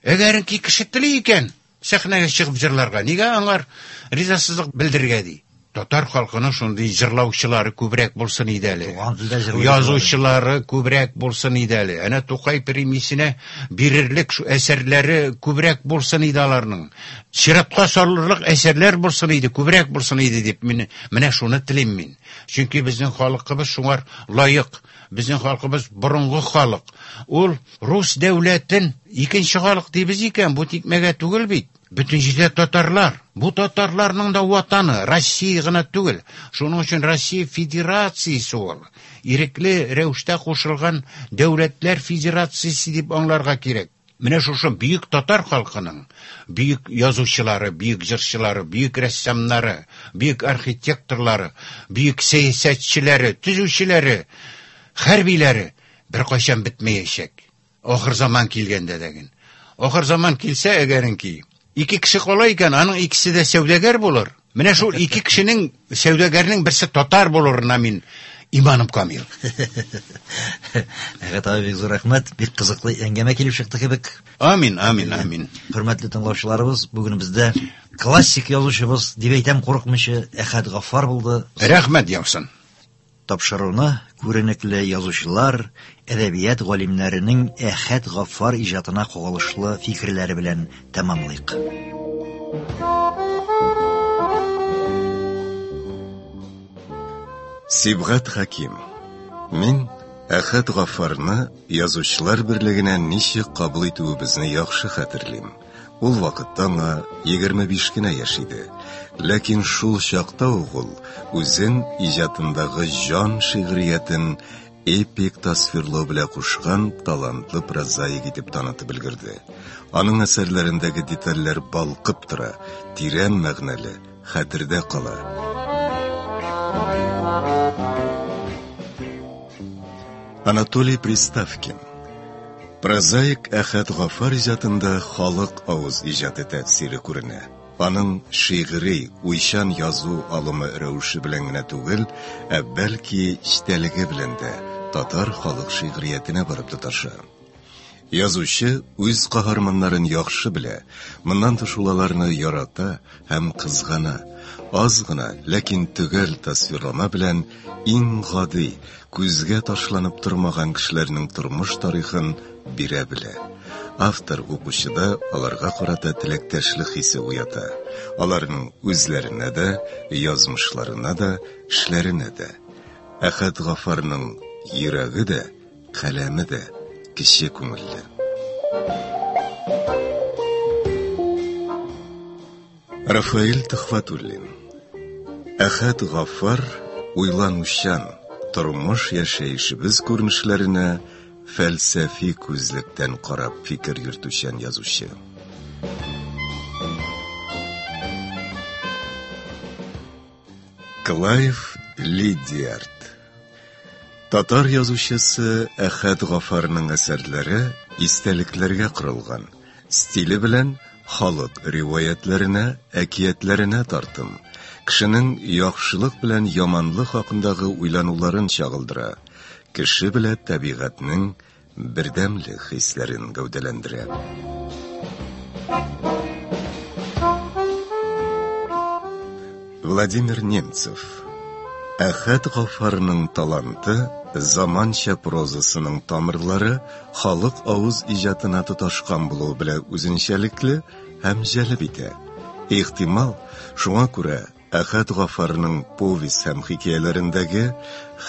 Әгәренки кеше тели икән, сәхнәгә чыгып җырларга, нигә аңар ризасызлык белдерергә ди? Татар халкының шундый җырлаучылары күбрәк булсын иде әле. Туган телдә җырлый Язучылары күбрәк булсын иде әле. Әнә Тукай премиясенә бирерлек шу әсәрләре күбрәк булсын иде аларның. Чиратка салырлык әсәрләр булсын иде, күбрәк булсын иде дип мин менә шуны телим мин. Чөнки безнең халкыбыз шуңар лаек. Безнең халкыбыз борынгы халык. Ул рус дәүләтен икенче халык дибез икән, бу тикмәгә түгел бит. Бөтен җирдә татарлар. Бу татарларның да ватаны Россия гына түгел. Шуның өчен Россия Федерациясе ул. Ирекле рәвештә кушылган дәүләтләр федерациясе дип аңларга кирәк. Менә шушы бөек татар халкының бөек язучылары, бөек җырчылары, бөек рәссамнары, бөек архитекторлары, бөек сәясәтчеләре, төзүчеләре, хәрбиләре беркайчан бетмәячәк. Ахыр заман килгәндә дәген. Ахыр заман килсә, әгәренки, ике кеше кала икән, аның икесе дә сәүдәгәр булыр. Менә шул ике кешенең сәүдәгәрнең берсе татар булырына мин иманым камил. Әхәт абый, бик зур рәхмәт. Бик кызыклы әңгәмә килеп чыкты кебек. Амин, амин, амин. Хөрмәтле тыңлаучыларыбыз, бүген бездә классик язучыбыз дип әйтәм курыкмыйча Әхәт Гаффар булды. Рәхмәт яусын. Тапшыруны күренекле язучылар, әдәбият галимнәренең Әхәт Гаффар иҗатына кагылышлы фикерләре белән тәмамлыйк. Сибгат Хәким. Мин Әхәт Гаффарны язучылар берлегенә ничек кабул итүебезне яхшы хәтерлим. Ул вакытта аңа 25 кенә яшь иде. Ләкин шул чакта ук ул үзен иҗатындагы җан шигъриятен эпик тасвирлау белән кушкан талантлы прозаик итеп танытып өлгерде. Аның әсәрләрендәге детальләр балкып тора, тирән мәгънәле, хәтердә кала. Анатолий Приставкин. Прозаик Әхәт Гафар иҗатында халык авыз иҗаты тәэсире күренә. Аның шигъри, уйчан язу алымы рәвеше белән генә түгел, ә бәлки эчтәлеге белән дә татар халык шигъриятенә барып тоташа. Язучы үз каһарманнарын яхшы белә, моннан тыш ул аларны ярата һәм кызгана. Аз гына, ләкин төгәл тасвирлама белән иң гади, күзгә ташланып тормаган кешеләрнең тормыш тарихын бирә белә. Автор укучыда аларга карата теләктәшлек хисе уята. Аларның үзләренә дә, язмышларына да, эшләренә дә. Әхәт Гафарның йөрәге дә, каләме дә кече күңелле. Рафаэль Төхвәтуллин. Әхәт Гафар уйланучан, тормыш яшәешебез күренешләренә фәлсәфи күзлектән карап фикер йөртүчән язучы. Клайв Лидиард. Татар язучысы Әхәт Гафарның әсәрләре истәлекләргә корылган, стиле белән халык риваятләренә, әкиятләренә тартым, кешенең яхшылык белән яманлык хакындагы уйлануларын чагылдыра, кеше белән табигатьнең бердәмлек хисләрен гәүдәләндерә. Владимир Немцев. Әхәт Гафарның таланты заманча прозасының тамырлары халык авыз иҗатына тоташкан булуы белән үзенчәлекле һәм җәлеп итә. Ихтимал, шуңа күрә Әхәт Гафарның повесть һәм хикәяләрендәге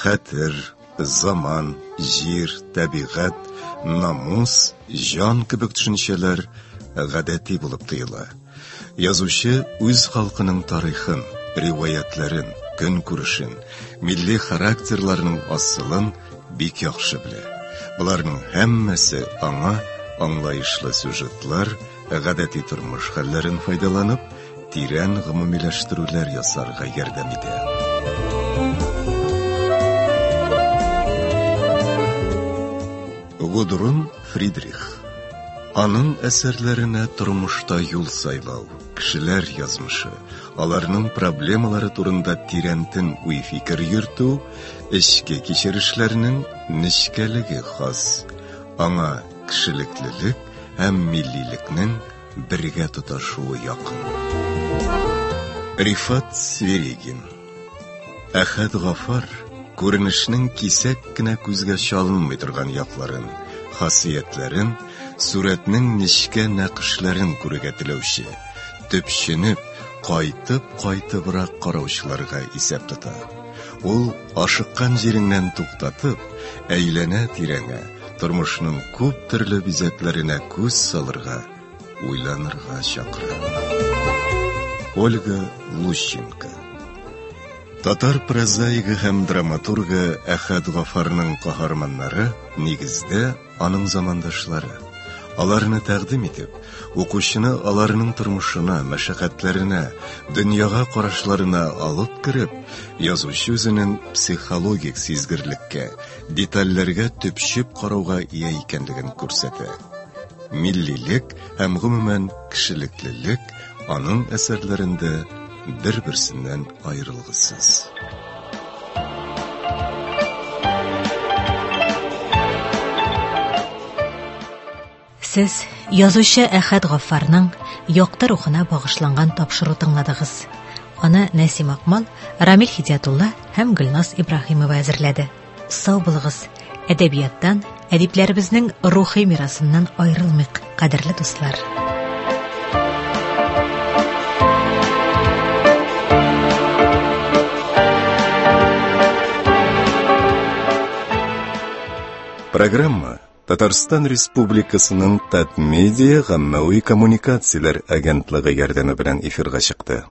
хәтер, заман, җир, табигать, намус, җан кебек төшенчәләр гадәти булып тоела. Язучы үз халкының тарихын, риваятләрен, көнкүрешен, милли характерларының асылын бик яхшы белә. Боларның һәммәсе аңа аңлаешлы сюжетлар, гадәти тормыш хәлләрен файдаланып, тирән гомумиләштерүләр ясарга ярдәм итә. Гудрун Фридрих. Аның әсәрләренә тормышта юл сайлау, кешеләр язмышы, аларның проблемалары турында тирәнтен уй-фикер йөртү, эчке кичерешләрнең нечкәлеге хас. Аңа кешелеклелек һәм миллилекнең бергә тоташуы якын. Рифат Сверигин. Әхәт Гафар күренешнең кисәк кенә күзгә чалынмый торган якларын, хасиятләрен, сурәтнең нечкә нәкышләрен күрергә теләүче, төпченеп, кайтып-кайтыбрак караучыларга исәп тота. Ул ашыккан җиреңнән туктатып, әйләнә-тирәңә, тормышның күп төрле бизәкләренә күз салырга, уйланырга чакыра. Ольга Лущенко. Татар прозаигы һәм драматургы Әхәт Гафарның каһарманнары нигездә аның замандашлары. Аларны тәкъдим итеп, укучыны аларның тормышына, мәшәкатьләренә, дөньяга карашларына алып кереп, язучы үзенең психологик сизгерлеккә, детальләргә төпчеп карауга ия икәнлеген күрсәтә. Миллилек һәм гомумән кешелеклелек аның әсәрләрендә бер-берсеннән аерылгысыз. Сез язучы Әхәт Гаффарның якты рухына багышланган тапшыру тыңладыгыз. Аны Нәсим Акмал, Рамил Хидиятулла һәм Гөлназ Ибраһимова әзерләде. Сау булыгыз. Әдәбияттан, әдипләребезнең рухи мирасыннан аерылмыйк, кадерле дуслар. Программа Татарстан Республикасының Татмедиа гаммәви коммуникацияләр агентлыгы ярдәме белән эфирга чыкты.